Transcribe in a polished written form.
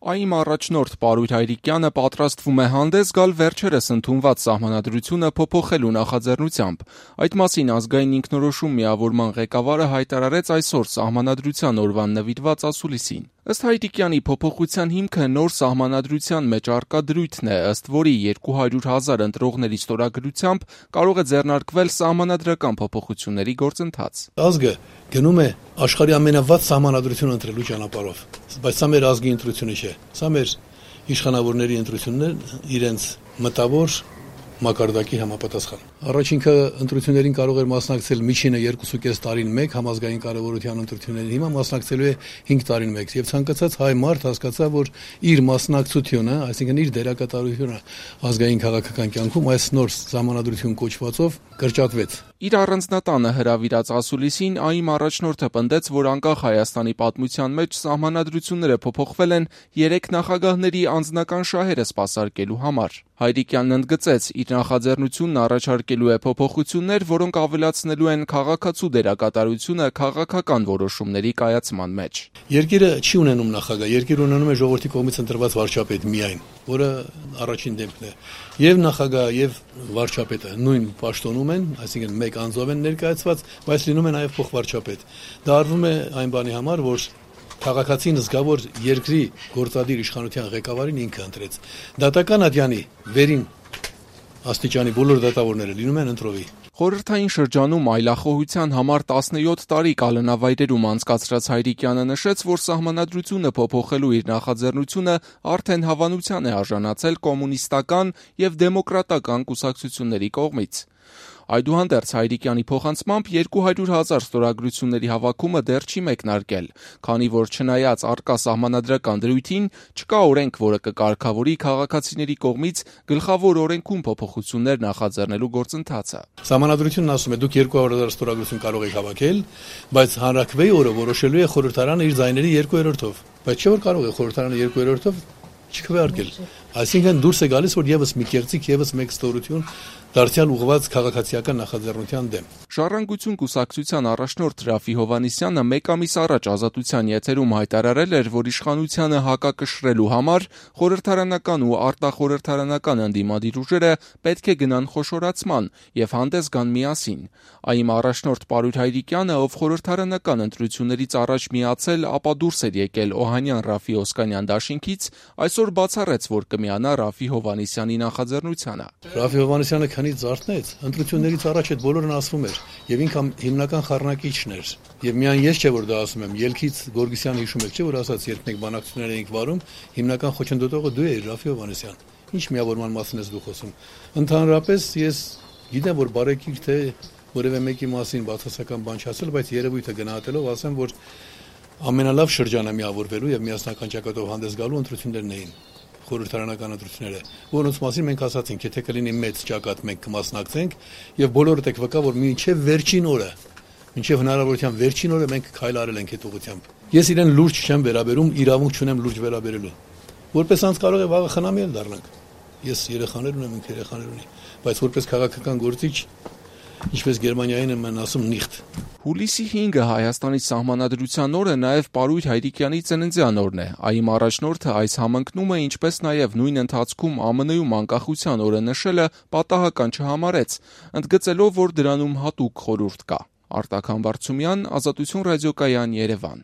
ԱԻՄ առաջնորդ Պարույր Հայրիկյանը պատրաստվում է հանդես գալ վերջերս ընդունված Սահմանադրությունը փոփոխելու նախաձեռնությամբ: Այդ մասին Ազգային ինքնորոշում միավորման ղեկավարը հայտարարեց այսօր Սահմանադրության օրվան նվիրված ասուլիսին: Ըստ Հայրիկյանի, փոփոխության հիմքը նոր Սահմանադրության մեջ առկա դրույթն է, ըստ որի 200,000 ընտրողների ստորագրությամբ կարող է ձեռնարկվել սահմանադրական փոփոխությունների գործընթաց: Ազգը գնում է աշխարհի ամենավատ Սահմանադրությունը ընտրելու ճանապարհով, բայց սա մեր ազգի ընտրությունը չէ, սա մեր իշխանավորների ընտրությունն է իրենց մտավոր մակարդակի համապատասխան: Առաջինը ընտրություններին կարող էր մասնակցել միջինը 2.5 տարին մեկ համազգային կարևորության ընտրություններին, հիմա մասնակցելու է 5 տարին մեկ, եւ ցանկացած հայ մարդ հասկացավ, որ իր մասնակցությունը, այսինքն իր դերակատարությունը ազգային քաղաքական կյանքում այս նոր Սահմանադրություն կոչվածով կրճատվեց: Իր առանձնատանը հրավիրած ասուլիսին ԱԻՄ առաջնորդը պնդեց, որ անկախ Հայաստանի պատմության մեջ սահմանադրությունները փոփոխվել են 3 նախագահների անձնական շահերը սպասարկելու համար: Հայրիկյանն ընդգծեց, իր նախաձեռնությունն առաջարկելու է փոփոխություններ, որոնք ավելացնելու են քաղաքացու դերակատարությունը քաղաքական որոշումների կայացման մեջ: Երկիրը չի ունենում նախագահ, երկիրը ունենում է ժողովրդի կողմից ընտրված վարչապետ միայն, որը առաջին դեմքն է: Եվ նախագահը եւ վարչապետը նույն պաշտոնում են, այսինքն մեկ անձով են ներկայացված, բայց լինում է նաեւ փոխվարչապետ: Դա արվում է այն բանի համար, որ քաղաքացին զգա, որ երկրի գործադիր իշխանության ղեկավարին ինքը ընտրեց: Դատական ատյանի վերին աստիճանի բոլոր դատավորները լինում են ընտրովի: Խորհրդային շրջանում այլախոհության համար 17 տարի կալանավայրերում անցկացրած Հայրիկյանը նշեց, որ Սահմանադրությունը փոփոխելու իր նախաձեռնությունը արդեն հավանության է արժանացել կոմունիստական եւ դեմոկրատական կուսակցությունների կողմից: Այդուհանդերձ, Հայրիկյանի փոխանցմամբ, 200,000 ստորագրությունների հավաքումը դեռ չի մեկնարկել, քանի որ չնայած առկա սահմանադրական դրույթին, չկա օրենք, որը կկարգավորի քաղաքացիների կողմից գլխավոր օրենքում փոփոխություններ նախաձեռնելու գործընթացը: Սահմանադրությունն ասում է, դուք 200,000 ստորագրություն կարող եք հավաքել, բայց հանրաքվեի օրը որոշելու է խորհրդարանը իր ձայների 2/3-ով, բայց չէ որ կարող է խորհրդարանը 2/3-ով չքվեարկել: Այսինքն դուրս է գալիս, որ եւս մի կեղծիք, եւս մեկ ստորություն դարձյալ ուղղված քաղաքացիական նախաձեռնության դեմ: Ժառանգություն կուսակցության առաջնորդ Րաֆֆի Հովհաննիսյանը մեկ ամիս առաջ Ազատության եթերում հայտարարել էր, որ իշխանությանը հակակշռելու համար խորհրդարանական ու արտախորհրդարանական ընդդիմադիր ուժերը պետք է գնան խոշորացման եւ հանդես գան միասին: ԱԻՄ առաջնորդ Պարույր Հայրիկյանը, ով խորհրդարանական ընտրություններից առաջ միացել, ապա դուրս էր եկել Օհանյան-Րաֆֆի-Օսկանյան դաշինքից, այսօր բացառեց, որ կմիանա Րաֆֆի Հովհաննիսյանի նախաձեռնությանը: Րաֆֆի Հովհաննիսյանը քանից զարթնեց, ընտրություններից առաջ այդ բոլորն ասվում էր եւ ինքը հիմնական խառնակիչն էր: Եվ միայն ես չէ որ դա ասում եմ, ելքից Գորգիսյանը հիշում եք, չէ՞ որ ասաց, երբ մենք բանակցություններ էինք վարում, հիմնական խոչընդոտողը դու էիր, Րաֆֆի Հովհաննիսյան: Ինչ միավորման մասին ես դու խոսում: Ընդհանրապես ես գիտեմ, որ բարեկիր թե որեւէ մեկի մասին բացասական բան չասել, բայց երևույթը գնահատելով ասեմ, որ ամենալավ շրջանը միավորվելու եւ միասնական ճակատով հանդես գալու ընտրություններն էին, խորհրդարանական ընտրությունները, որոնց մասին մենք ասացինք, եթե կլինի մեծ ճակատ մենք կմասնակցենք եւ բոլորդ եք վկա, որ մինչեւ վերջին օրը, մինչեւ հնարավորության վերջին օրը մենք քայլ արել ենք այդ ուղղությամբ: Ես իրեն լուրջ չեմ վերաբերում, իրավունք չունեմ լուրջ վերաբերելու: Որպես անձ կարող է վաղը խնամի էլ դառնանք: Ես երեխաներ ունեմ, ինքը երեխաներ ունի, բայց որպես քաղաքական գործիչ, ինչպես Գերմանիայում են ասում, նիխտ: Հուլիսի 5-ը Հայաստանի Սահմանադրության օրը նաեւ Պարույր Հայրիկյանի ծննդյան օրն է: ԱԻՄ առաջնորդը այս համընկնումը, ինչպես նաեւ նույն ընթացքում ԱՄՆ-ում անկախության օրը նշելը պատահական չհամարեց, ընդգծելով, որ դրանում հատուկ խորհուրդ կա: Արտակ Համբարձումյան, Ազատություն ռադիոկայան, Երևան: